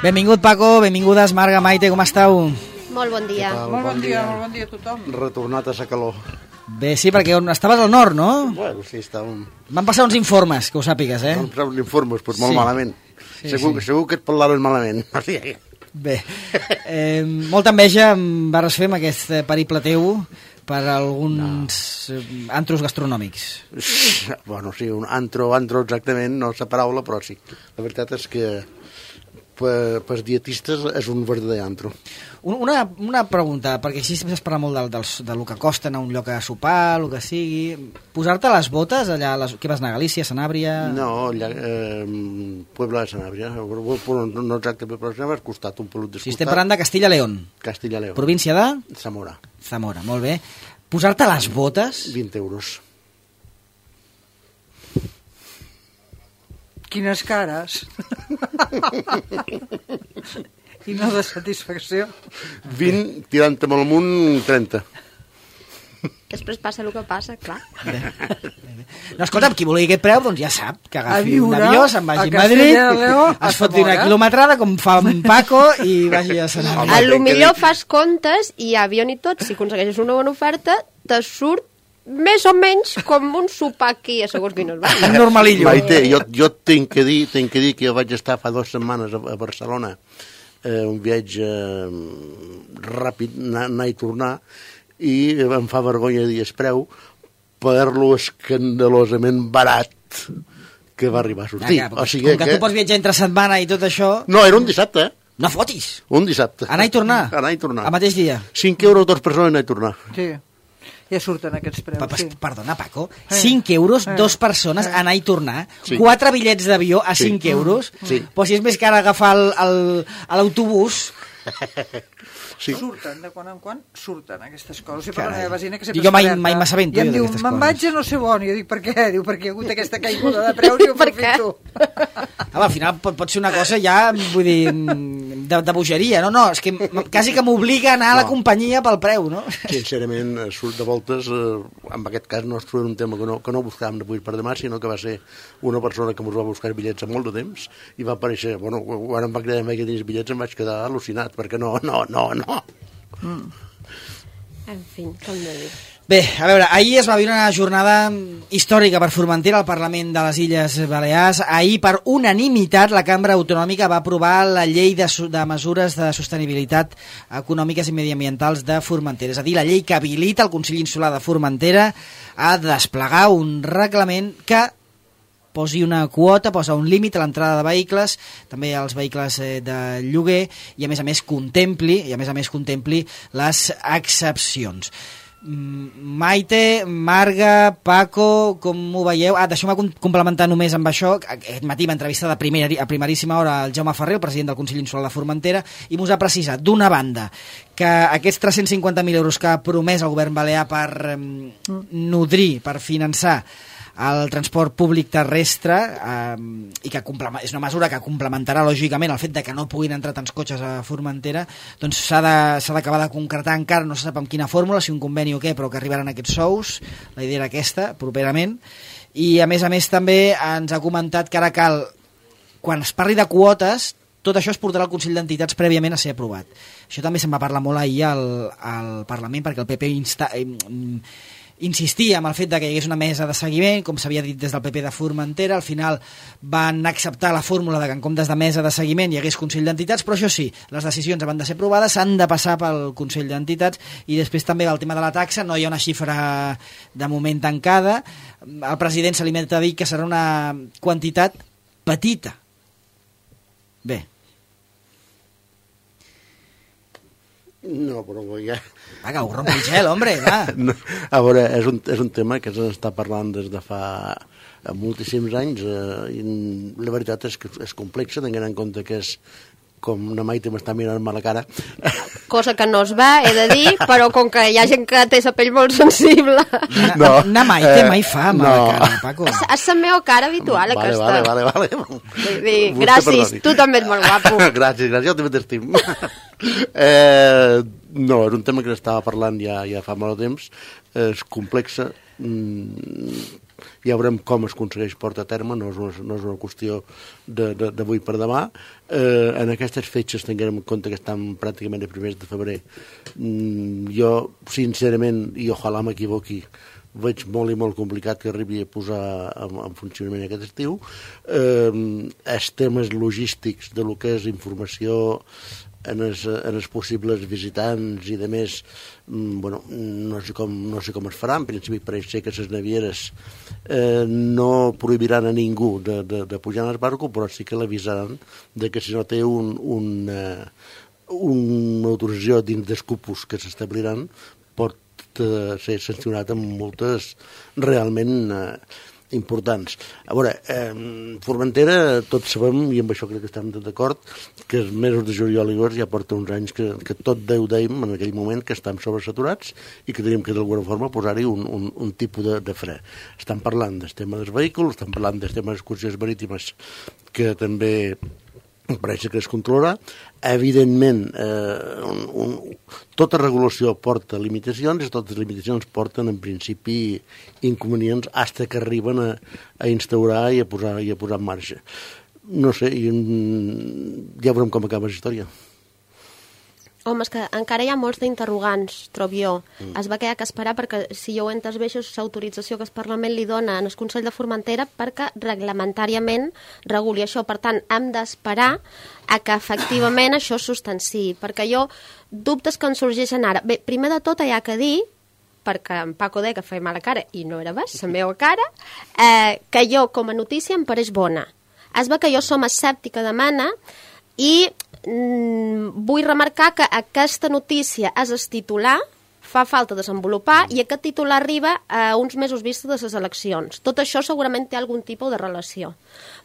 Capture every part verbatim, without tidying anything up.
Benvingut, Paco, benvingudes, Marga, Maite, com esteu? Molt bon dia. Molt bon dia, molt bon dia a tothom. Retornat a sa calor. Bé, sí, perquè on estaves al nord, no? Bueno, sí, estàvem... Van passar uns informes, que ho sàpigues, eh? Vam passar uns informes, doncs molt Sí. malament. Sí, segur, sí. segur que et parlaven malament. Bé, eh, molta enveja em vas fer amb aquest periple teu per alguns no. antros gastronòmics. Bueno, sí, un antro, antro exactament, no és la paraula, però sí. La veritat és que per, per dietistes és un verdader antro. Una, una pregunta, perquè així es parla molt del, del, del que costa anar a un lloc a sopar, el que sigui. Posar-te les botes allà, les, què vas anar a Galícia, Sanàbria? No, allà, eh, Puebla de Sanàbria, no exactament, però s'ha costat un pelut descostat. Si estem parlant de Castilla-León. Castilla-León. Província de? Zamora. Zamora, molt bé. Posar-te les botes? vint euros. Quines cares. Quina de satisfacció. vint, tirant amb el munt, trenta. Després passa el que passa, clar. No, escolta, qui vulgui aquest preu, doncs ja sap que agafi A viure un avió, se'n vagi a a Madrid, Castella-Lleó, a es foti una Zamora. quilometrada, com fa en Paco, i vagi a Sanàbria. Home, A lo crec que millor dic- fas comptes i avió ni tot, si aconsegueixes una bona oferta, te surt més o menys com un sopar aquí a segons quines va. Un normalillo. Maite, jo, jo tinc que dir, tinc que dir que jo vaig estar fa dues setmanes a, a Barcelona, eh, un viatge eh, ràpid, anar, anar i tornar, i em fa vergonya dir el preu per lo escandalosament barat que va arribar a sortir. Ah, o sigui com que, que tu pots viatjar entre setmana i tot això, No, era un dissabte, eh? no fotis. Un dissabte. Anar i tornar. Anar i tornar. Al mateix dia. cinc euros dos persones anar i tornar. Sí, ja surten aquests preus, Pa, pa, sí. Perdona, Paco, Eh. cinc euros, Eh. dos persones, Eh. anar i tornar, Sí. quatre bitllets d'avió a Sí. cinc euros, Sí. però si és més car agafar el- el- a l'autobús... Sí. Surten, de quan en quan surten aquestes coses. Sí, per Carai. la meva vecina, que Jo sempre mai- és mai m'assabento I em jo diu, d'aquestes me'n coses. vaig a no sé on. I jo dic, per què? Diu, perquè hi ha hagut aquesta caiguda de preus i ho Per què? aprofito. Home, al final pot, pot ser una cosa ja, vull dir, de, de bogeria. No, no, és que m- quasi que m'obliga a anar a la No. companyia pel preu, no? Sincerament, eh, surt de voltes, eh, en aquest cas no es trobem un tema que no, que no buscàvem d'avui per demà, sinó que va ser una persona que ens va buscar bitllets a molt de temps i va aparèixer, bueno, quan em va cridar que tenies bitllets em vaig quedar al·lucinat, perquè no, no, no, no. En fi, com de dir. Bé, a veure, ahir es va viure una jornada històrica per Formentera al Parlament de les Illes Balears. Ahir, per unanimitat, la Cambra Autonòmica va aprovar la llei de, su- de mesures de sostenibilitat econòmiques i mediambientals de Formentera. És a dir, la llei que habilita el Consell Insular de Formentera a desplegar un reglament que posi una quota, posa un límit a l'entrada de vehicles, també als vehicles eh, de lloguer, i a més a més contempli, i a més a més contempli les excepcions. Mm, Maite, Marga, Paco, com ho veieu? Ah, deixeu-me com- complementar només amb això. Aquest matí va entrevistar de primera, a primeríssima hora el Jaume Ferrer, el president del Consell Insular de Formentera, i mos ha precisat, d'una banda, que aquests tres-cents cinquanta mil euros que ha promès el govern balear per eh, nodrir, per finançar el transport públic terrestre eh, i que complema- és una mesura que complementarà lògicament el fet de que no puguin entrar tants cotxes a Formentera, doncs s'ha de- s'ha d'acabar de concretar encara, no se sap amb quina fórmula, si un conveni o què, però que arribaran aquests sous, la idea era aquesta, properament, i a més a més també ens ha comentat que ara cal, quan es parli de quotes, tot això es portarà al Consell d'Entitats prèviament a ser aprovat. Això també se'n va parlar molt ahir al, al Parlament, perquè el P P insta, eh, insistia en el fet de que hi hagués una mesa de seguiment, com s'havia dit des del P P de Formentera. Al final van acceptar la fórmula de que en comptes de mesa de seguiment hi hagués Consell d'Entitats, però això sí, les decisions han de ser aprovades, s'han de passar pel Consell d'Entitats, i després també el tema de la taxa, no hi ha una xifra de moment tancada. El president se li met a dir que serà una quantitat petita. Bé. No, però ja... Va, que ho romp el gel, hombre, va. No, a veure, és un, és un tema que s'està parlant des de fa moltíssims anys eh, i la veritat és que és complexa, tenint en compte que és com una Maite m'està mirant-me a la cara. Cosa que no es va, he de dir, però com que hi ha gent que té la pell molt sensible... No, Anar Maite eh, mai fa mala no. cara, Paco. És la meva cara habitual, Vale, aquesta. vale, vale, vale. Vull dir, Vostè gràcies, perdoni. tu també ets molt guapo. gràcies, gràcies, jo també t'estim. eh, no, és un tema que estava parlant ja, ja fa molt de temps, és complexa, mm, ja veurem com es aconsegueix portar a terme, no és una, no és una qüestió d'avui per demà. Eh, en aquestes fetges tinguem en compte que estan pràcticament a primers de febrer. Mm, jo, sincerament, i ojalà m'equivoqui, veig molt i molt complicat que arribi a posar en, en funcionament aquest estiu. Eh, els temes logístics de lo que és informació en els, en els possibles visitants i de més, bueno, no sé com, no sé com es farà. En principi pareix ser que les navieres eh, no prohibiran a ningú de, de, de pujar en el barco, però sí que l'avisaran de que si no té un, un, eh, una autorització dins dels cupos que s'establiran pot eh, ser sancionat amb multes realment eh, importants. A veure, eh, Formentera, tots sabem, i amb això crec que estem d'acord, que els mesos de juliol i agost ja porta uns anys que, que tot Déu dèiem en aquell moment que estem sobresaturats i que tenim que d'alguna forma posar-hi un, un, un tipus de, de fre. Estan parlant del tema dels vehicles, estan parlant del tema de les excursions marítimes, que també pareix que es controlarà. Evidentment, eh, un, un, tota regulació porta limitacions i totes les limitacions porten en principi inconvenients fins que arriben a, a instaurar i a posar, i a posar en marxa. No sé, i, ja veurem com acaba la història. Home, és que encara hi ha molts d'interrogants, trobo jo. Mm. Es va quedar que esperar perquè, si jo ho he entès bé, això és l'autorització que el Parlament li dona en el Consell de Formentera perquè reglamentàriament reguli això. Per tant, hem d'esperar a que efectivament això es substanciï. Perquè jo, dubtes que en sorgeixen ara. Bé, primer de tot hi ha que dir, perquè en Paco deia que feia mala cara, i no era bas, la meva cara, eh, que jo, com a notícia, em pareix bona. Es va que jo som escèptica de mena i vull remarcar que aquesta notícia és el titular, fa falta desenvolupar, i aquest titular arriba a uns mesos vista de les eleccions. Tot això segurament té algun tipus de relació.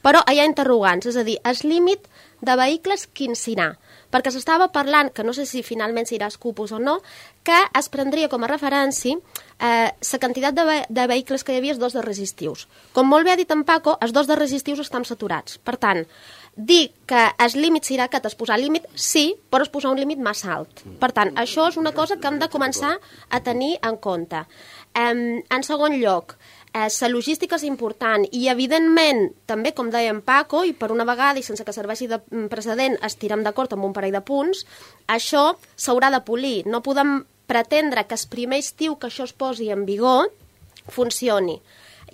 Però hi ha interrogants, és a dir, el límit de vehicles quin serà? Perquè s'estava parlant, que no sé si finalment s'irà als cupos o no, que es prendria com a referència eh, la quantitat de, ve de vehicles que hi havia els dos de resistius. Com molt bé ha dit en Paco, els dos de resistius estan saturats. Per tant, dir que el límit serà aquest, es posar límit, sí, però es posar un límit massa alt. Per tant, això és una cosa que hem de començar a tenir en compte. Um, en segon lloc, eh, la logística és important i, evidentment, també, com deia en Paco, i per una vegada, i sense que serveixi de precedent, estirem d'acord amb un parell de punts, això s'haurà de polir. No podem pretendre que el primer estiu que això es posi en vigor funcioni.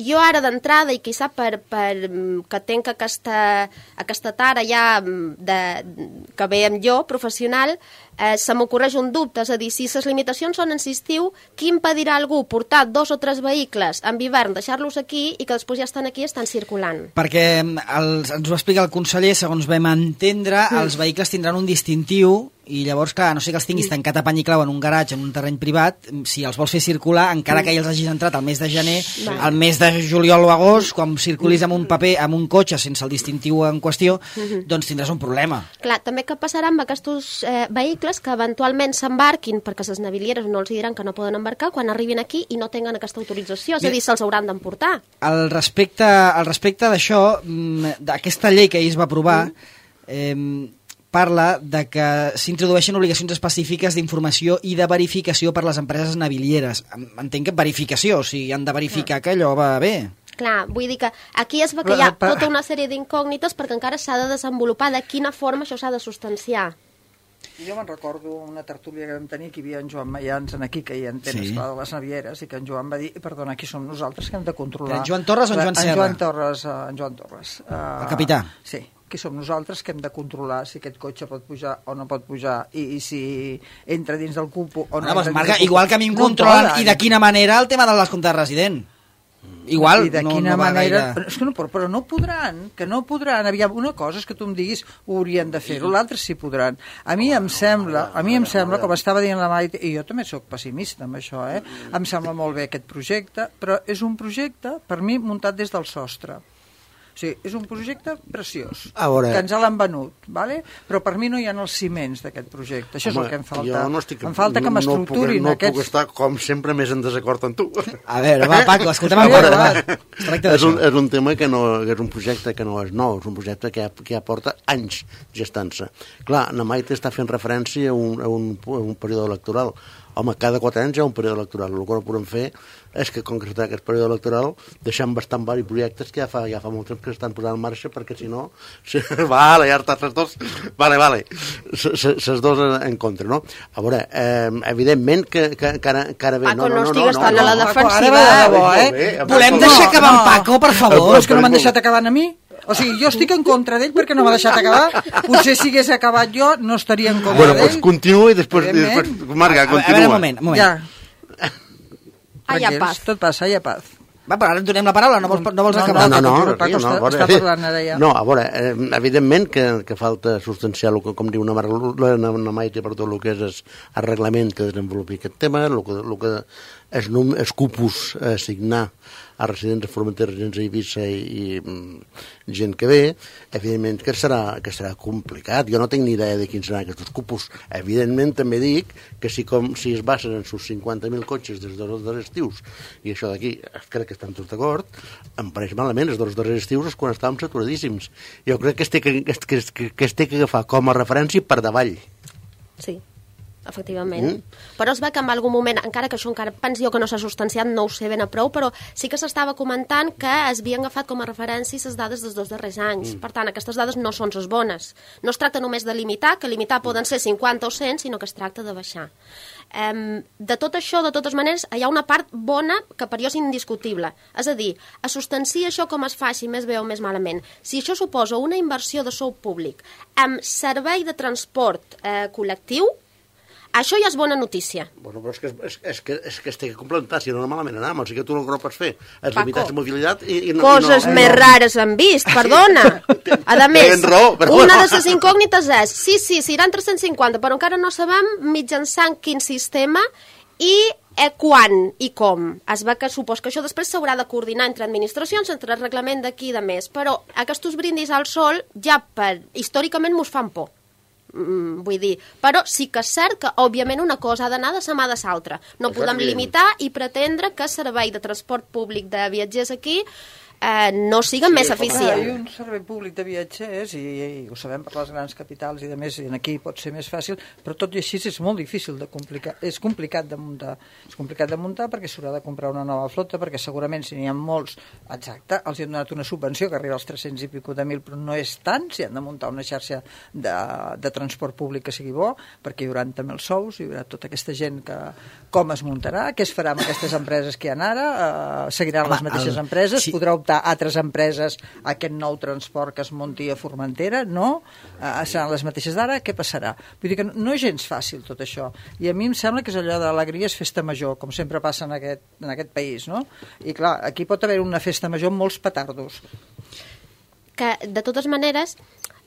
Jo ara d'entrada, i quizà per, per que tenc aquesta, aquesta tara ja de, que veiem jo, professional, eh, se m'ocorreix un dubte, és a dir, si les limitacions són en estiu, qui impedirà a algú portar dos o tres vehicles en hivern, deixar-los aquí i que després ja estan aquí i estan circulant? Perquè els, ens ho explica el conseller, segons vam entendre, mm. els vehicles tindran un distintiu i llavors, clar, no sé que els tinguis tancat a pany i clau en un garatge, en un terreny privat, si els vols fer circular, encara que ja els hagis entrat al mes de gener, sí. al mes de juliol o agost, quan circulis amb un paper, amb un cotxe sense el distintiu en qüestió, mm-hmm. doncs tindràs un problema. Clar, també què passarà amb aquests eh, vehicles que eventualment s'embarquin, perquè les navilieres no els diran que no poden embarcar, quan arribin aquí i no tenen aquesta autorització, és a dir, se'ls hauran d'emportar. Al respecte, al respecte d'això, d'aquesta llei que ahir es va aprovar, mm. eh, parla de que s'introdueixen obligacions específiques d'informació i de verificació per les empreses navilieres. Entenc que verificació, o sigui, han de verificar que allò va bé. Clar, vull dir que aquí es va que hi ha tota una sèrie d'incògnites perquè encara s'ha de desenvolupar de quina forma això s'ha de substanciar. Jo me'n recordo una tertúlia que vam tenir, que hi havia en Joan Mayans aquí, que hi entén sí. de les navieres, i que en Joan va dir, perdona, aquí som nosaltres que hem de controlar... En Joan Torres o en Joan Serra? En Joan Torres, en Joan Torres. El capità? Sí. Que som nosaltres que hem de controlar si aquest cotxe pot pujar o no pot pujar i, i si entra dins del cupo o no. Ah, doncs, Marga, igual que a mi em controlen no i de quina manera el tema de les comptes resident. Igual, I de no, quina no manera... Gaire. És que no, però no podran, que no podran. Aviam, una cosa és que tu em diguis ho haurien de fer-ho, l'altra sí podran. A mi em sembla, a mi em sembla, com estava dient la Maite, i jo també sóc pessimista amb això, eh? Em sembla molt bé aquest projecte, però és un projecte, per mi, muntat des del sostre. O sigui, és un projecte preciós, veure, que ens l'han venut, ¿vale? Però per mi no hi ha els ciments d'aquest projecte. Això home, és el que em falta. No estic, em falta que m'estructurin no, no aquests... No puc estar, com sempre, més en desacord amb tu. A veure, va, Paco, escolta'm en veure, va. És un, és un tema que no, que és un projecte que no és nou, és un projecte que ja, que ja porta anys gestant-se. Clar, na Maite està fent referència a un, a un, a un període electoral. home, cada quatre anys hi ha un període electoral. El que no podem fer és que, com que està aquest període electoral, deixem bastant vari projectes que ja fa, ja fa molt temps que s'estan posant en marxa, perquè si no... Si, vale, ja està, ses dos... Vale, vale. Ses dos en contra, no? A veure, eh, evidentment que, que, que, ara, que ara ve... Paco, no, no, no estigues no, tan no, a la no, defensiva. Paco, ara va de debò, eh? Volem deixar acabar en Paco, per favor. Però és que no m'han deixat acabar a mi. O sigui, jo estic en contra d'ell perquè no m'ha deixat acabar. Potser si hagués acabat jo no estaria en contra bueno, d'ell. doncs continua i després... després Marga, continua. A veure, un moment, un moment. Ja. Ah, hi ha paz. Tot passa, hi ha paz. Va, però ara en donem la paraula, no vols, no vols No, acabar? No, no, no, Paco no, està- a veure, està parlant ara ja. No, a veure, eh, evidentment que, que falta substanciar, el que, com diu una, Mar, la, una Maite, per tot el que és, és el reglament que desenvolupi aquest tema, el que, el que és, és cupus a assignar a residents de Formentera, residents a Eivissa i, i mm, gent que ve, evidentment que serà, que serà complicat. Jo no tinc ni idea de quins seran aquests cupus. Evidentment també dic que si, com, si es basen en sus cinquanta mil cotxes des dels dos estius, i això d'aquí crec que estan tots d'acord, em pareix malament, els dos darrers estius és quan estàvem saturadíssims. Jo crec que es té que, que, que, que, es té que agafar com a referència per davall. Sí, efectivament. Mm. Però es ve que en algun moment, encara que això encara penso jo que no s'ha substanciat, no ho sé ben a prou, però sí que s'estava comentant que es havien agafat com a referència les dades dels dos darrers anys. Mm. Per tant, aquestes dades no són les bones. No es tracta només de limitar, que limitar poden ser cinquanta o cent, sinó que es tracta de baixar. Um, de tot això, de totes maneres, hi ha una part bona que per jo és indiscutible. És a dir, a substanciar això com es faci més bé o més malament. Si això suposa una inversió de sou públic amb servei de transport eh, col·lectiu, això ja és bona notícia. Bueno, però és que, és, és que, és que es té que complementar, si no, malament anem. O sigui que tu el que no pots fer és Paco, limitar la mobilitat i, i no... Coses i no, més no. rares han vist, perdona. A més, Tens raó, però una bueno. de les incògnites és, sí, sí, seran tres-cents cinquanta, però encara no sabem mitjançant quin sistema i eh, quan i com. Es va que supos que això després s'haurà de coordinar entre administracions, entre el reglament d'aquí i de més, però aquests brindis al sol ja per, històricament mos fan por. Mm, vull dir, però sí que és cert que òbviament una cosa ha d'anar de sa mà de l'altra. No Això podem és limitar i pretendre que el servei de transport públic de viatgers aquí eh, no siga sí, més eficient. Hi ha un servei públic de viatgers i, i ho sabem per les grans capitals i de més, i aquí pot ser més fàcil, però tot i així és molt difícil de complicar, és complicat de muntar. És complicat de muntar perquè s'haurà de comprar una nova flota, perquè segurament si n'hi ha molts, exacte, els hi han donat una subvenció que arriba als tres-cents i pico de mil, però no és tant, si han de muntar una xarxa de, de transport públic que sigui bo, perquè hi haurà també els sous, hi haurà tota aquesta gent que com es muntarà, què es farà amb aquestes empreses que hi ha ara, uh, seguiran les mateixes el, empreses, sí. Podrà optar a altres empreses a aquest nou transport que es munti a Formentera, no? Uh, seran les mateixes d'ara, què passarà? Vull dir que no, no és gens fàcil tot això, i a mi em sembla que és allò d'alegria és festa major, com sempre passa en aquest, en aquest país, no? I clar, aquí pot haver una festa major amb molts petardos. Que, de totes maneres,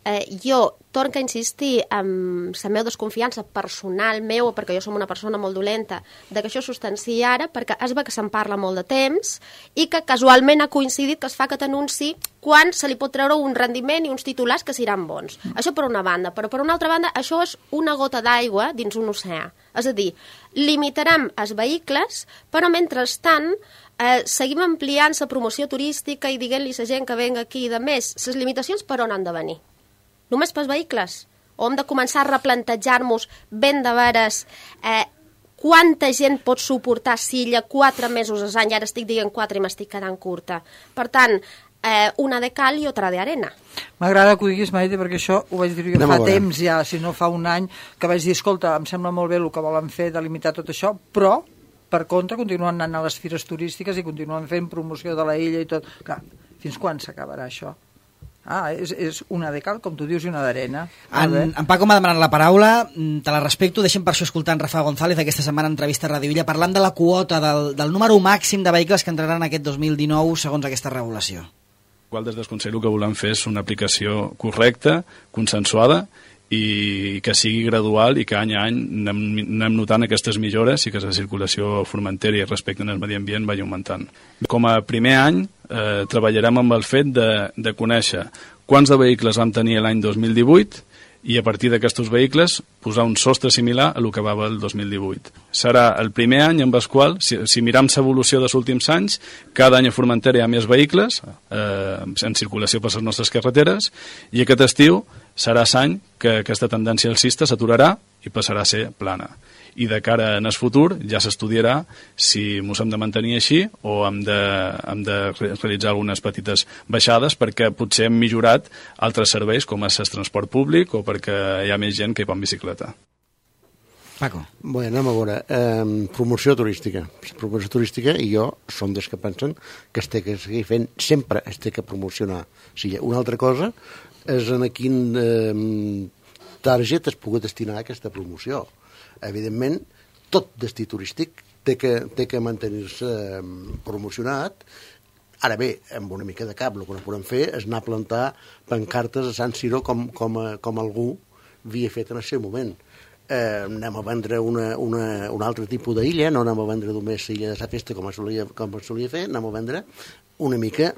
eh, jo torno a insistir en la meva desconfiança personal meu, perquè jo som una persona molt dolenta, de que això es substanciï ara, perquè es ve que se'n parla molt de temps i que casualment ha coincidit que es fa aquest anunci quan se li pot treure un rendiment i uns titulars que seran bons. Mm. Això per una banda, però per una altra banda això és una gota d'aigua dins un oceà. És a dir, limitarem els vehicles, però mentrestant eh, seguim ampliant la promoció turística i dient-li a la gent que venga aquí i de més, les limitacions per on han de venir? Només pels vehicles? O hem de començar a replantejar-nos ben de veres eh, quanta gent pot suportar silla quatre mesos a l'any? Ara estic dient quatre i m'estic quedant curta. Per tant, eh, una de cal i otra de arena. M'agrada que ho diguis, Maite, perquè això ho vaig dir jo Anem fa temps ja, si no fa un any, que vaig dir, escolta, em sembla molt bé el que volen fer de limitar tot això, però, per contra, continuen anant a les fires turístiques i continuen fent promoció de la illa i tot. Clar, fins quan s'acabarà això? Ah, és, és una de cal, com tu dius, i una d'arena. En, en Paco m'ha demanat la paraula, te la respecto, deixem per això escoltar en Rafa González aquesta setmana en entrevista a Radio Illa parlant de la quota, del, del número màxim de vehicles que entraran aquest dos mil dinou segons aquesta regulació. Igual des del Consell el que volem fer és una aplicació correcta, consensuada i que sigui gradual i que any a any anem, anem notant aquestes millores i que la circulació a Formentera i respecte al medi ambient vagi augmentant. Com a primer any eh, treballarem amb el fet de, de conèixer quants de vehicles vam tenir l'any dos mil divuit i a partir d'aquests vehicles posar un sostre similar a el que va el dos mil divuit. Serà el primer any en el qual, si, si miram l'evolució dels últims anys, cada any a Formentera hi ha més vehicles eh, en circulació per les nostres carreteres i aquest estiu serà l'any que aquesta tendència alcista s'aturarà i passarà a ser plana. I de cara en el futur ja s'estudiarà si ens hem de mantenir així o hem de, hem de realitzar algunes petites baixades perquè potser hem millorat altres serveis com és el transport públic o perquè hi ha més gent que hi va en bicicleta. Paco. Bé, anem a veure. Eh, promoció turística. Promoció turística, i jo som dels que pensen que es té que seguir fent, sempre es té que promocionar. O sigui, una altra cosa és en quin eh, target es pugui destinar a aquesta promoció. Evidentment, tot destí turístic té que, té que mantenir-se eh, promocionat. Ara bé, amb una mica de cap, el que no podem fer és anar a plantar pancartes a Sant Siro com, com, com algú havia fet en el seu moment. Eh, anem a vendre una, una, un altre tipus d'illa, no anem a vendre només l'illa de la festa com es solia, com es solia fer, anem a vendre una mica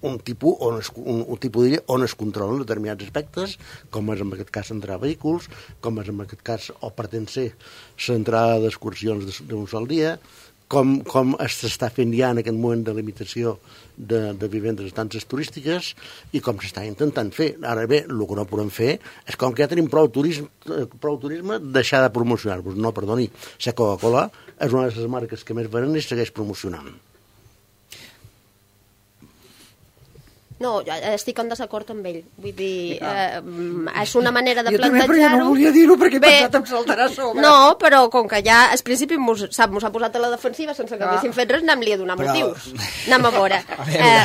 un tipus, on es, un, un tipus d'illa on es controlen determinats aspectes, com és en aquest cas entrar a vehicles, com és en aquest cas, o pretén ser, l'entrada d'excursions d'un sol dia, com, com s'està fent ja en aquest moment de limitació de, de vivendes estances turístiques i com s'està intentant fer. Ara bé, el que no podem fer és com que ja tenim prou turisme, prou turisme deixar de promocionar-vos. No, perdoni, la Coca-Cola és una de les marques que més venen i segueix promocionant. No, estic en desacord amb ell. Vull dir, eh, és una manera de jo plantejar-ho... Jo també, però jo no volia dir-ho perquè he pensat em saltarà a sobre. No, però com que ja al principi mos, sap, mos ha posat a la defensiva sense que ah. haguéssim fet res, anem-li a donar però... motius. Anem a veure. A veure.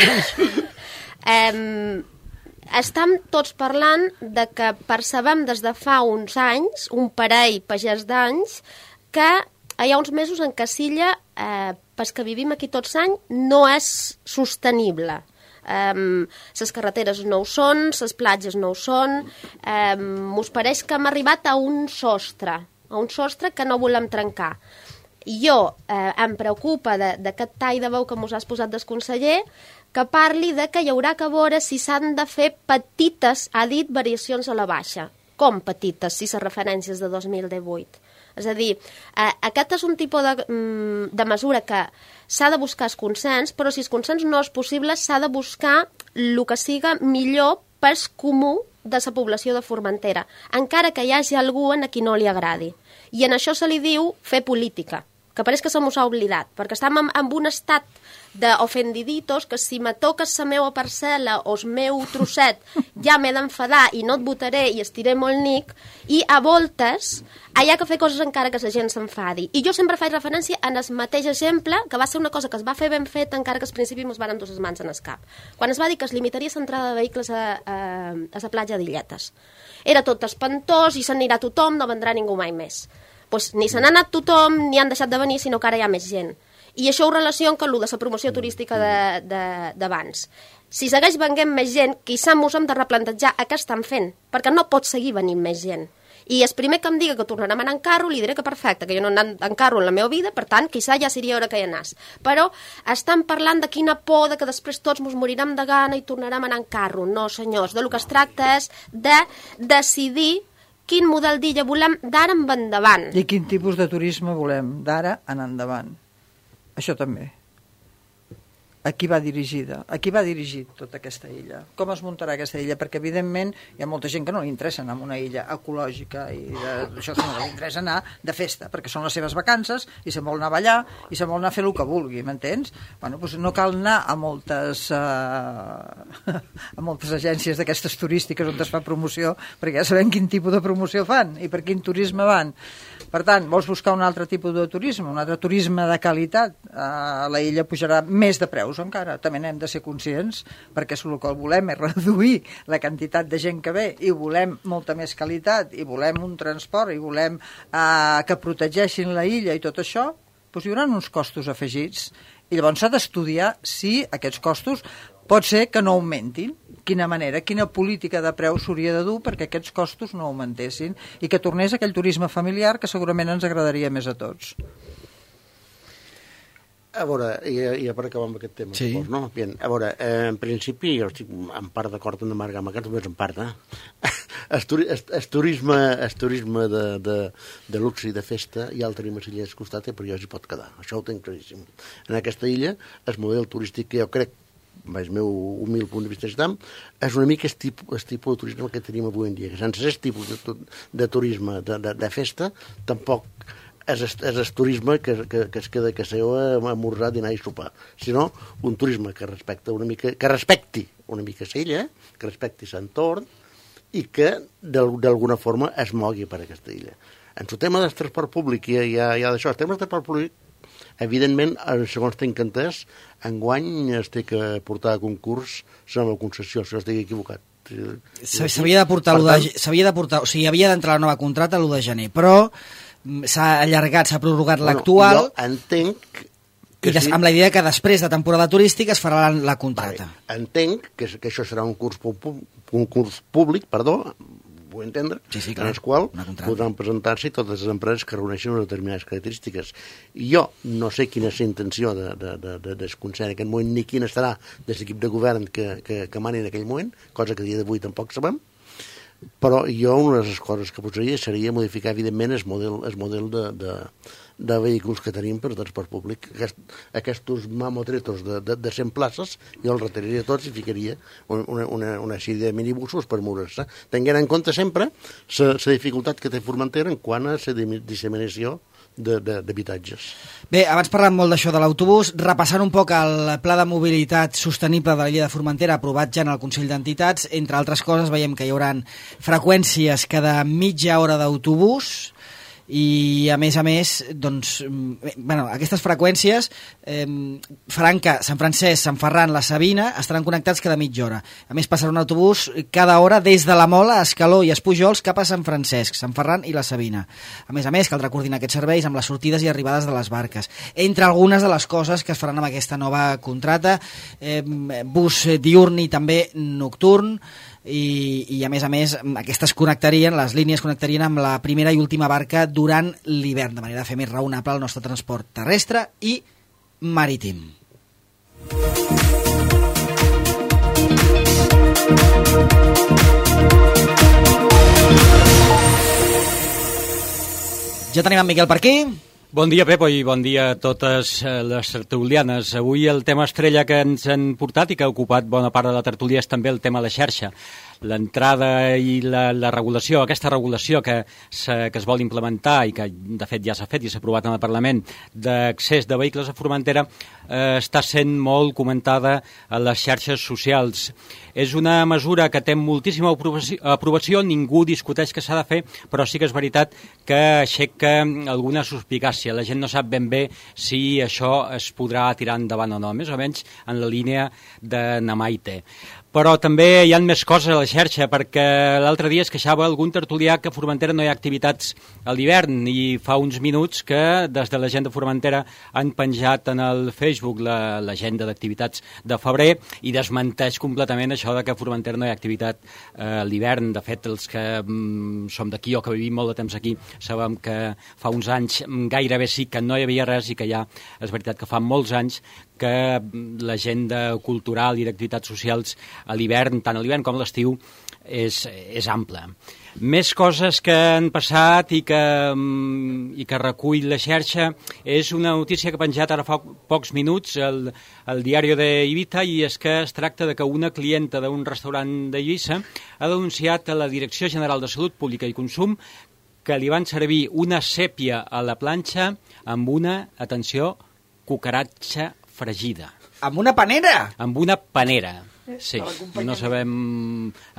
Eh, eh, estem tots parlant de que percebem des de fa uns anys, un parell pagès d'anys, que hi ha uns mesos en què Silla, eh, pels que vivim aquí tots anys, no és sostenible. Um, les carreteres no ho són, les platges no ho són, um, us pareix que hem arribat a un sostre, a un sostre que no volem trencar. I jo eh, em preocupa d'aquest tall de veu que mos has posat del conseller, que parli de que hi haurà que veure si s'han de fer petites, ha dit, variacions a la baixa. Com petites, si les referències de dos mil divuit? És a dir, eh, aquest és un tipus de, de mesura que s'ha de buscar el consens, però si el consens no és possible, s'ha de buscar el que siga millor pel comú de la població de Formentera, encara que hi hagi algú a qui no li agradi. I en això se li diu fer política, que pareix que se mos ha oblidat, perquè estem en, en un estat d'ofendiditos que si me toques la meva parcel·la o el meu trosset ja m'he d'enfadar i no et votaré i estiré molt nic, i a voltes hi ha que fer coses encara que la gent s'enfadi. I jo sempre faig referència en el mateix exemple, que va ser una cosa que es va fer ben fet encara que al principi ens van dur les mans en el cap. Quan es va dir que es limitaria l'entrada de vehicles a, a, a la platja d'Illetes. Era tot espantós i s'anirà tothom, no vendrà ningú mai més. Pues ni se n'ha anat tothom, ni han deixat de venir, sinó que ara hi ha més gent. I això ho relaciona amb el de la promoció turística d'abans. Si segueix venint més gent, quizà mos hem de replantejar què estan fent, perquè no pot seguir venint més gent. I el primer que em diga que tornarem a anar en carro, li diré que perfecte, que jo no he anat en carro en la meva vida, per tant, quizà ja seria hora que hi anàs. Però estan parlant de quina por, de que després tots mos morirem de gana i tornarem a anar en carro. No, senyors, del que es tracta és de decidir quin model d'illa volem d'ara en endavant. I quin tipus de turisme volem d'ara en endavant. Això també. A qui va dirigida? A qui va dirigit tota aquesta illa? Com es muntarà aquesta illa? Perquè, evidentment, hi ha molta gent que no li interessa anar a una illa ecològica i de, això no li interessa anar de festa, perquè són les seves vacances i se'n vol anar a ballar i se'n vol anar a fer el que vulgui, m'entens? Bueno, doncs no cal anar a moltes, uh, a moltes agències d'aquestes turístiques on es fa promoció, perquè ja sabem quin tipus de promoció fan i per quin turisme van. Per tant, vols buscar un altre tipus de turisme, un altre turisme de qualitat, uh, la illa pujarà més de preus encara, també n'hem de ser conscients, perquè el que volem és reduir la quantitat de gent que ve i volem molta més qualitat i volem un transport i volem eh, que protegeixin la illa i tot això, doncs hi haurà uns costos afegits i llavors s'ha d'estudiar si aquests costos pot ser que no augmentin, quina manera, quina política de preu s'hauria de dur perquè aquests costos no augmentessin i que tornés aquell turisme familiar que segurament ens agradaria més a tots. A veure, ja, ja per acabar amb aquest tema, sí. Supos, no? Bien, a veure, eh, en principi jo estic en part d'acord amb Marc amb aquest, només en part, eh? El, turi, el, el turisme, el turisme de, de, de luxe i de festa ja el tenim a l'illa del costat, però ja s'hi pot quedar, això ho tinc claríssim. En aquesta illa, el model turístic que jo crec el meu humil punt de vista, és una mica el tipus, el tipus de turisme que tenim avui en dia, que sense aquest tipus de, de turisme de, de, de festa, tampoc és el turisme que, que, que es queda a casa a esmorzar, dinar i sopar, sinó un turisme que respecta una mica, que respecti una mica l'illa, que respecti l'entorn i que d'alguna forma es mogui per aquesta illa. En el tema del transport públic hi ha, hi ha, hi ha d'això, el tema del transport públic, evidentment, segons tinc entès, enguany es té que portar a concurs la nova concessió, si no estic equivocat. S'havia de portar, tant... s'havia de portar, o sigui, havia d'entrar la nova contracta l'u de gener, però s'ha allargat, s'ha prorrogat bueno, l'actual. Jo entenc que i des, sí. amb la idea que després de temporada turística es farà la, la contracta. Vale. Entenc que, que això serà un curs, un curs públic, perdó, vull entendre, sí, sí, clar, en el qual podran presentar-se totes les empreses que reuneixen unes determinades característiques. I jo no sé quina és la intenció de, de, de, de, del Consell en aquest moment, ni quina estarà de l'equip de govern que, que, que mani en aquell moment, cosa que a dia d'avui tampoc sabem, però jo una de les coses que posaria seria modificar, evidentment, el model, el model de, de, de vehicles que tenim per transport públic. Aquest, aquests mamotretos de, de, de cent places, jo els retiraria tots i ficaria una, una, una sèrie de minibusos per moure-se, tenint en compte sempre la dificultat que té Formentera en quant a la disseminació d'habitatges. Bé, abans parlàvem molt d'això de l'autobús, repassant un poc el Pla de Mobilitat Sostenible de l'illa de Formentera aprovat ja en el Consell d'Entitats, entre altres coses veiem que hi haurà freqüències cada mitja hora d'autobús i a més a més doncs, bueno, aquestes freqüències eh, faran que Sant Francesc, Sant Ferran, la Sabina estaran connectats cada mitja hora. A més passarà un autobús cada hora des de la Mola, Escaló i Espujols cap a Sant Francesc, Sant Ferran i la Sabina. A més a més caldrà coordinar aquests serveis amb les sortides i arribades de les barques. Entre algunes de les coses que es faran amb aquesta nova contrata, eh, bus diurn i també nocturn, I, i a més a més aquestes connectarien, les línies connectarien amb la primera i última barca durant l'hivern, de manera de fer més raonable el nostre transport terrestre i marítim. Ja tenim en Miquel per aquí. Bon dia, Pepo, i bon dia a totes les tertulianes. Avui el tema estrella que ens han portat i que ha ocupat bona part de la tertúlia és també el tema de la xarxa. L'entrada i la, la regulació, aquesta regulació que, se, que es vol implementar i que de fet ja s'ha fet i s'ha aprovat en el Parlament d'accés de vehicles a Formentera eh, està sent molt comentada a les xarxes socials. És una mesura que té moltíssima aprovació, aprovació, ningú discuteix que s'ha de fer, però sí que és veritat que aixeca alguna suspicàcia. La gent no sap ben bé si això es podrà tirar endavant o no, més o menys en la línia de Namaite. Però també hi ha més coses a la xarxa, perquè l'altre dia es queixava algun tertulià que a Formentera no hi ha activitats a l'hivern i fa uns minuts que des de l'agenda Formentera han penjat en el Facebook l'agenda d'activitats de febrer i desmenteix completament això de que a Formentera no hi ha activitat a l'hivern. De fet, els que mm, som d'aquí o que vivim molt de temps aquí sabem que fa uns anys gairebé sí que no hi havia res i que ja és veritat que fa molts anys que l'agenda cultural i d'activitats socials a l'hivern, tant a l'hivern com a l'estiu, és, és ampla. Més coses que han passat i que, i que recull la xarxa és una notícia que ha penjat ara fa pocs minuts el, el diari d'Eivissa, i és que es tracta de que una clienta d'un restaurant d'Eivissa ha denunciat a la Direcció General de Salut Pública i Consum que li van servir una sèpia a la planxa amb una, atenció, cucaratxa fregida. Amb una panera? Amb una panera. Sí, no sabem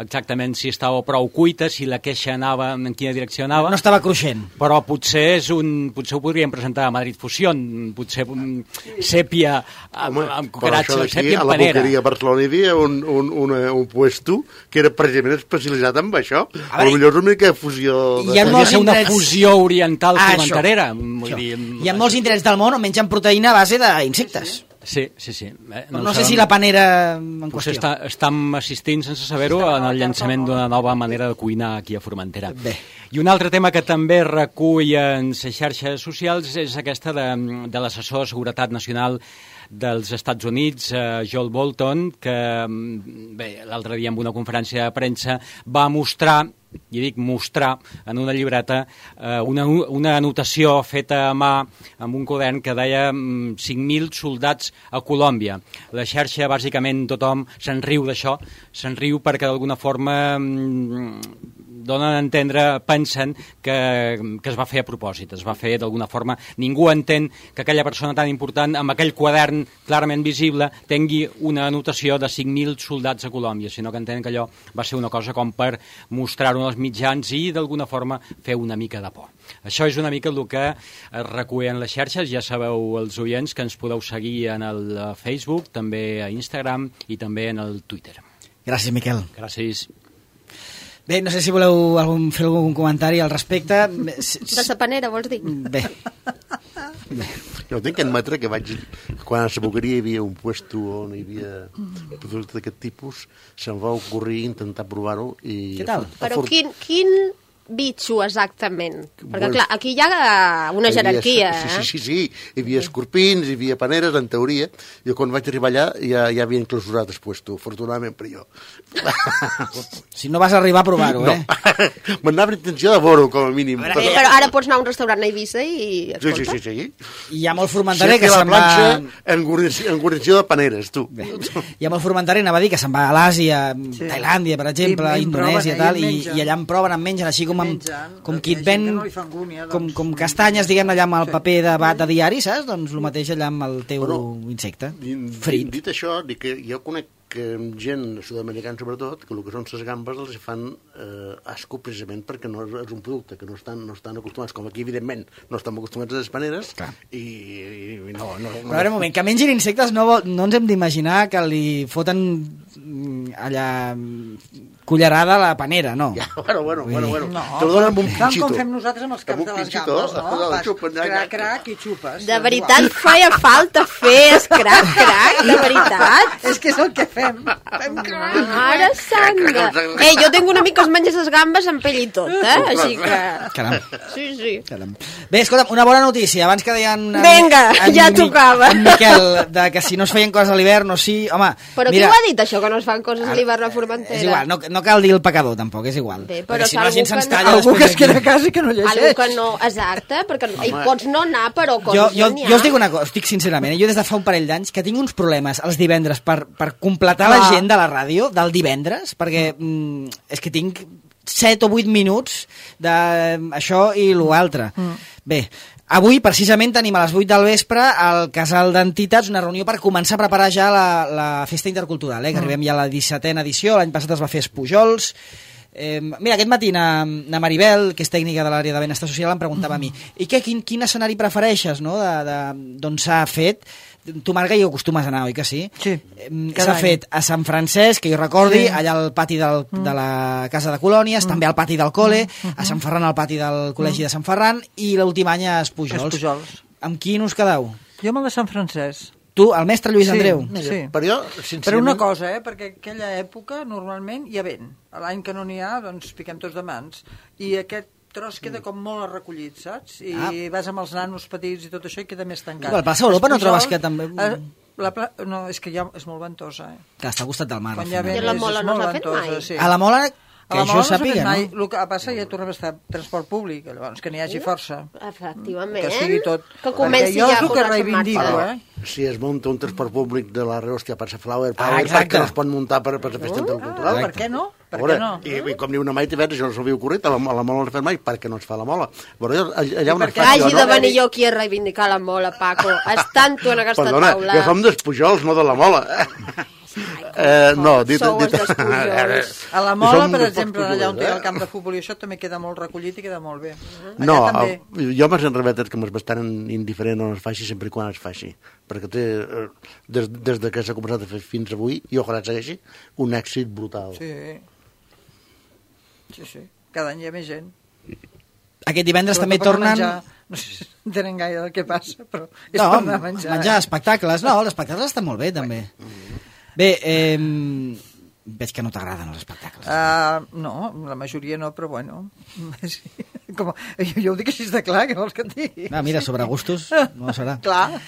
exactament si estava prou cuita, si la queixa anava, en quina direcció anava. No estava cruixent. Però potser és un, potser ho podríem presentar a Madrid Fusión, potser un sèpia amb, amb cucaratxa, sèpia amb panera. A la boqueria a Barcelona hi havia un, un, un, un puesto que era precisament especialitzat en això. A veure, potser és una mica fusió... De... Hi ha molts ser una indrets... fusió oriental ah, formenterera. Vull dir... Hi ha molts indrets del món on mengen proteïna a base d'insectes. Sí, sí, sí. Eh, no no sé si la panera en qüestió. Està, estem assistint, sense saber-ho, en el llançament d'una nova manera de cuinar aquí a Formentera. Bé. I un altre tema que també recull en les xarxes socials és aquesta de, de l'assessor de Seguretat Nacional dels Estats Units, eh, Joel Bolton, que bé, l'altre dia en una conferència de premsa va mostrar i dic mostrar en una llibreta eh, una, una anotació feta a mà amb un quadern que deia mm, cinc mil soldats a Colòmbia. La xarxa, bàsicament, tothom se'n riu d'això, se'n riu perquè d'alguna forma mm, donen a entendre, pensen que, que es va fer a propòsit, es va fer d'alguna forma. Ningú entén que aquella persona tan important, amb aquell quadern clarament visible, tingui una anotació de cinc mil soldats a Colòmbia, sinó que entenen que allò va ser una cosa com per mostrar-ho als mitjans i d'alguna forma fer una mica de por. Això és una mica el que es recull en les xarxes. Ja sabeu, els oients, que ens podeu seguir en el Facebook, també a Instagram i també en el Twitter. Gràcies, Miquel. Gràcies. Bé, no sé si voleu algun, fer algun comentari al respecte. De sa panera, vols dir? Bé. Bé. Jo tinc que admetre que vaig... Quan a la Boqueria hi havia un puesto on hi havia productes d'aquest tipus, se'm va ocorrir intentar provar-ho i... Què tal? Però quin, quin bitxo exactament? Perquè, clar, aquí hi ha una jerarquia, eh? Sí, eh? sí, sí, sí. Hi havia escorpins, hi havia paneres, en teoria. Jo quan vaig arribar allà ja, ja havien clausurat el puesto, afortunadament per jo. Si no vas arribar a provar-ho, no. eh? M'anava intenció de veure-ho, com a mínim. Però, però ara pots anar a un restaurant a Eivissa i... Sí, sí, sí, sí. Hi ha molt formenterer que la se'n va... planxa en guarnició, en guarnició de paneres, tu. Bé. Hi ha molt formenterer, anava a dir, que se'n va a l'Àsia, sí. Tailàndia, per exemple, I, i Indonèsia i tal, i, i allà en proven, en mengen, així com, amb, mengen, com qui et ven, no angúnia, doncs, com, com castanyes, diguem, allà amb el sí. paper de bat de diari, saps? Doncs el mateix allà amb el teu Però, insecte, frit. Dit això, dic que jo conec que gent sud-americana sobretot, que el que són les gambes els fan eh, asco precisament perquè no és un producte que no estan, no estan acostumats, com aquí evidentment no estem acostumats a les paneres. Clar. i, i no, no, no. Però a veure un moment, que mengin insectes no, no ens hem d'imaginar que li foten allà cullerada a la panera, no. Ja, bueno, bueno, bueno, bueno. No, te lo donen amb un tant pinxito. com fem nosaltres amb els caps Amb un de les pinxito, gambes, no? el Fas xupen, crac, crac i xupes. De veritat feia falta fer crac, crac, de veritat. És que és el que fem. Fem crac. Mare santa. Ei, jo tinc un amic que es menja les gambes amb pell i tot, eh? Així que... Caram. Sí, sí. Caram. Bé, escolta'm, una bona notícia. Abans que deien... En, Vinga, en, ja en, tocava. En Miquel, de que si no es feien coses a l'hivern o sí... Home, però mira, qui ho ha dit, això, que no es fan coses a l'hivern a Formentera? És igual, no, no cal dir el pecador, tampoc, és igual. Bé, però si no la gent se'ns no... talla... Algú que es queda a casa i que no llegeix. Algú que no, exacte, perquè hi pots no anar, però coses jo, jo, no n'hi ha. jo us dic una cosa, us dic sincerament, eh? Jo des de fa un parell d'anys que tinc uns problemes els divendres per, per completar Clar. l'agenda de la ràdio del divendres, perquè mm, és que tinc set o vuit minuts d'això i l'altre. Mm. Bé, avui precisament tenim a les vuit del vespre al Casal d'Entitats una reunió per començar a preparar ja la, la festa intercultural, eh? Que mm. arribem ja a la dissetena edició, l'any passat es va fer a Espujols. Eh, mira, aquest matí na, na Maribel, que és tècnica de l'àrea de benestar social, em preguntava a mi, i què, quin, quin escenari prefereixes, no?, d'on s'ha fet? Tu, Marga, hi acostumes a anar, oi que sí? Sí. Eh, s'ha fet a Sant Francesc, que jo recordi, sí. Allà al pati del, mm. de la Casa de Colònies, mm. també al pati del Cole, mm. a Sant Ferran al pati del Col·legi mm. de Sant Ferran, i l'últim any a Espujols. Espujols. Amb quin us quedeu? Jo amb el de Sant Francesc. Tu, el mestre Lluís sí, Andreu? Sí, per jo, sincerament... Per una cosa, eh? Perquè aquella època normalment hi ha vent. L'any que no n'hi ha, doncs piquem tots de mans. I aquest tros queda com molt recollit, saps? I ah. vas amb els nanos petits i tot això i queda més tancat. Igual, passa a Europa no trobes que també... Eh, la pla... No, és que ja és molt ventosa, eh? Que està al costat del mar. Quan hi ha vent, I la Mola és, és no molt s'ha fet ventosa, mai? sí. A la Mola... Que això sàpiga, no? Mai. El que passa ja tornem a estar transport públic, llavors que n'hi hagi força. Efectivament. Que sigui tot. Que comenci jo ja a és el que posar-se en reivindico, marxa. eh? Si es munta un transport públic de la Reus que passa Flower Ah, Power, exacte. perquè no es pot muntar per, per la festa intercultural. Per què no? Per Veure, què no? I, I com diu una Maite Verge, això no s'havia ocorrit, a la, a la Mola no es fa mai, perquè no es fa la Mola. Veure, allà on es fa... Hagi de venir jo aquí a reivindicar la Mola, Paco. Estant tu en aquesta Perdona, taula. Perdona, jo som dels Pujols, no de la Mola. Eh, no, dit, Sou dit, els dels Pujols. A la Mola, Som per dels exemple, allà on té eh? el camp de futbol i això també queda molt recollit i queda molt bé. Allà No, també. el, jo m'has enrebetat que m'és bastant indiferent on es faci sempre i quan es faci, perquè té, eh, des, des de que s'ha començat a fer fins avui, i ojalà segueixi, un èxit brutal. Sí. Sí, sí. Cada any hi ha més gent. Aquest divendres Sobretot també per tornen... menjar. No sé si entenen gaire el que passa, però és No, per anar a menjar. menjar espectacles. No, els espectacles estan molt bé, també. Bé, eh, veig que no t'agraden els espectacles. Uh, no, la majoria no, però bueno. Sí. Com, jo, jo ho dic així de clar, que vols que et digui? Ah, mira, sobre gustos no serà. Clar.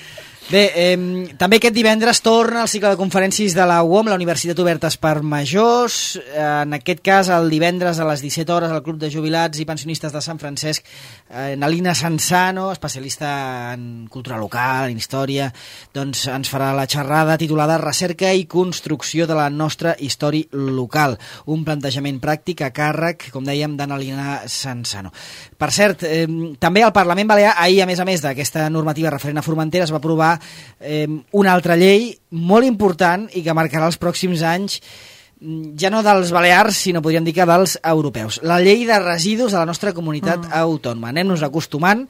Bé, eh, també aquest divendres torna el cicle de conferències de la U O M, la Universitat Obertes per Majors. En aquest cas, el divendres a les disset hores, al Club de Jubilats i Pensionistes de Sant Francesc, eh, Nalina Sansano, especialista en cultura local, en història, doncs ens farà la xerrada titulada Recerca i construcció de la nostra història local. Un plantejament pràctic a càrrec, com dèiem, de Nalina Sansano. Per cert, eh, també el Parlament Balear, ahir, a més a més d'aquesta normativa referent a Formentera, es va aprovar Eh, una altra llei molt important i que marcarà els pròxims anys, ja no dels balears, sinó podríem dir que dels europeus. La llei de residus de la nostra comunitat mm. autònoma. Anem-nos acostumant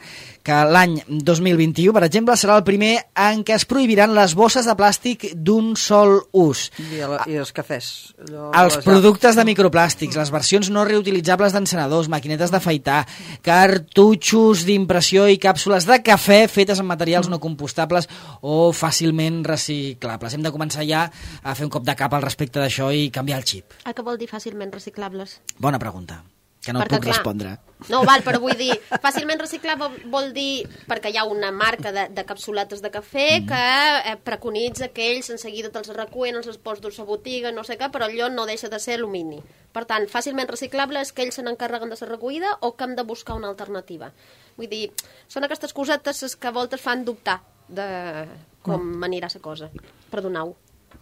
que l'any dos mil vint-i-u, per exemple, serà el primer en què es prohibiran les bosses de plàstic d'un sol ús. I, el, i els cafès. Allò, els productes de microplàstics, les versions no reutilitzables d'encenedors, maquinetes d'afaitar, cartutxos d'impressió i càpsules de cafè fetes amb materials no compostables o fàcilment reciclables. Hem de començar ja a fer un cop de cap al respecte d'això i canviar el xip. A què vol dir fàcilment reciclables? Bona pregunta, que no perquè, puc clar, respondre. No, val, però vull dir, fàcilment reciclable vol dir, perquè hi ha una marca de, de capsuletes de cafè mm. que eh, preconitza que ells en seguida te'ls recullen, els pots dur a botiga, no sé què, però allò no deixa de ser alumini. Per tant, fàcilment reciclable és que ells se n'encarreguen de la recollida o que hem de buscar una alternativa. Vull dir, són aquestes cosetes que a voltes fan dubtar de com mm. anirà la cosa. Perdoneu.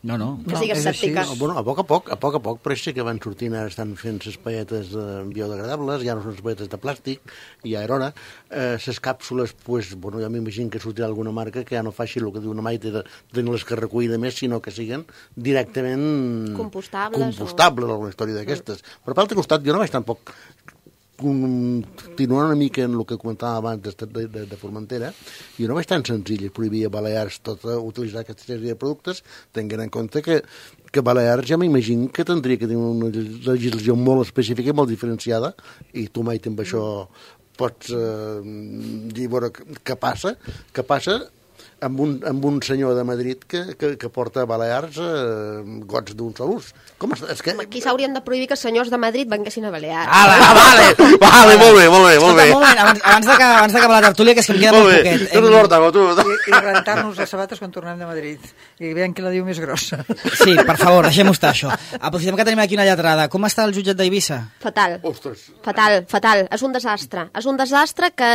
No, no. Que sigues no, escèptica. No, bueno, a poc a poc, a poc a poc, però sí que van sortint, ara estan fent les palletes eh, biodegradables, ja no són les palletes de plàstic, ja era hora. Eh, les càpsules, pues, bueno, jo m'imagino que sortirà alguna marca que ja no faci el que diu una Maite de tenir les que recollir de més, sinó que siguen directament compostables, compostables o alguna història d'aquestes. Mm. Però per l'altre costat, jo no vaig tampoc continuant una mica en el que comentàvem abans de, de, de, de Formentera, jo no vaig tan senzill prohibir a Balears tot a utilitzar aquesta sèrie de productes, tenint en compte que, que Balears ja m'imagino que tindria que tenir una legislació molt específica i molt diferenciada, i tu mai amb això pots eh, dir, veure, què passa, què passa amb un, amb un senyor de Madrid que, que, que porta a Balears eh, gots d'un sol ús. Com és, és que... Aquí s'haurien de prohibir que els senyors de Madrid venguessin a Balears. Ah, ah, vale, vale, molt bé, molt bé, molt bé. Escolta, un moment, abans, abans, de que, abans d'acabar la tertúlia, que és que em queda molt, molt poquet. Hem... No, tu. I, i rentar-nos les sabates quan tornem de Madrid. I veiem qui la diu més grossa. Sí, per favor, deixem-ho estar, això. Aprofitem que tenim aquí una lletrada. Com està el jutjat d'Eivissa? Fatal. Ostres. Fatal, fatal. És un desastre. És un desastre que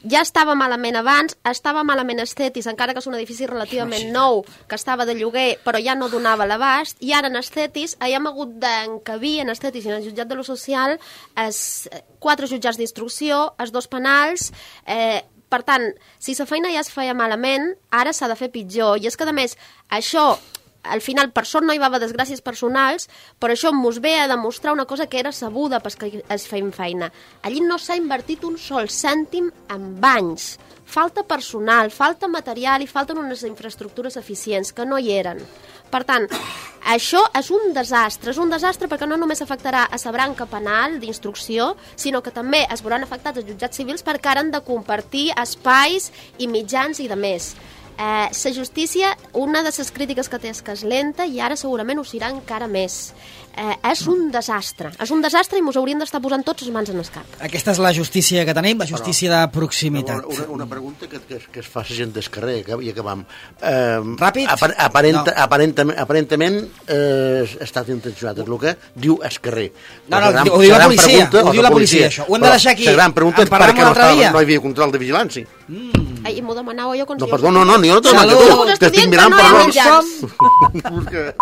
ja estava malament abans, estava malament Estetis, encara que és un edifici relativament nou, que estava de lloguer, però ja no donava l'abast, i ara en Estetis hem hagut d'encabir en Estetis i en el jutjat de lo social es, quatre jutjats d'instrucció, els dos penals, eh, per tant, si la feina ja es feia malament, ara s'ha de fer pitjor, i és que a més, això al final, per sort no hi va haver desgràcies personals, però això mos ve a demostrar una cosa que era sabuda pels que es feien feina. Allí no s'ha invertit un sol cèntim en anys. Falta personal, falta material i falten unes infraestructures eficients que no hi eren. Per tant, això és un desastre. És un desastre perquè no només afectarà a la branca penal d'instrucció, sinó que també es veuran afectats els jutjats civils perquè ara han de compartir espais i mitjans i de més. La eh, justícia, una de les crítiques que té és que és lenta i ara segurament ho serà encara més. Eh, és un desastre. És un desastre i mos hauríem d'estar posant tots les mans en el cap. Aquesta és la justícia que tenim, la justícia però, de proximitat. Una, una pregunta que, que, que es fa la gent del carrer i acabam. Eh, Ràpid? Apar aparenta, no. Aparentament, aparentament eh, ha estat intencionat, és el que diu el carrer. No, no, gran, ho diu la policia, pregunta, ho diu la policia, això. Ho hem de deixar aquí. La gran pregunta és per què no, estava, no hi havia control de vigilància. Mm. Ai, m'ho demanava jo... No, perdó, no, no, jo no t'ho demano, que tu, que estic mirant per l'hora.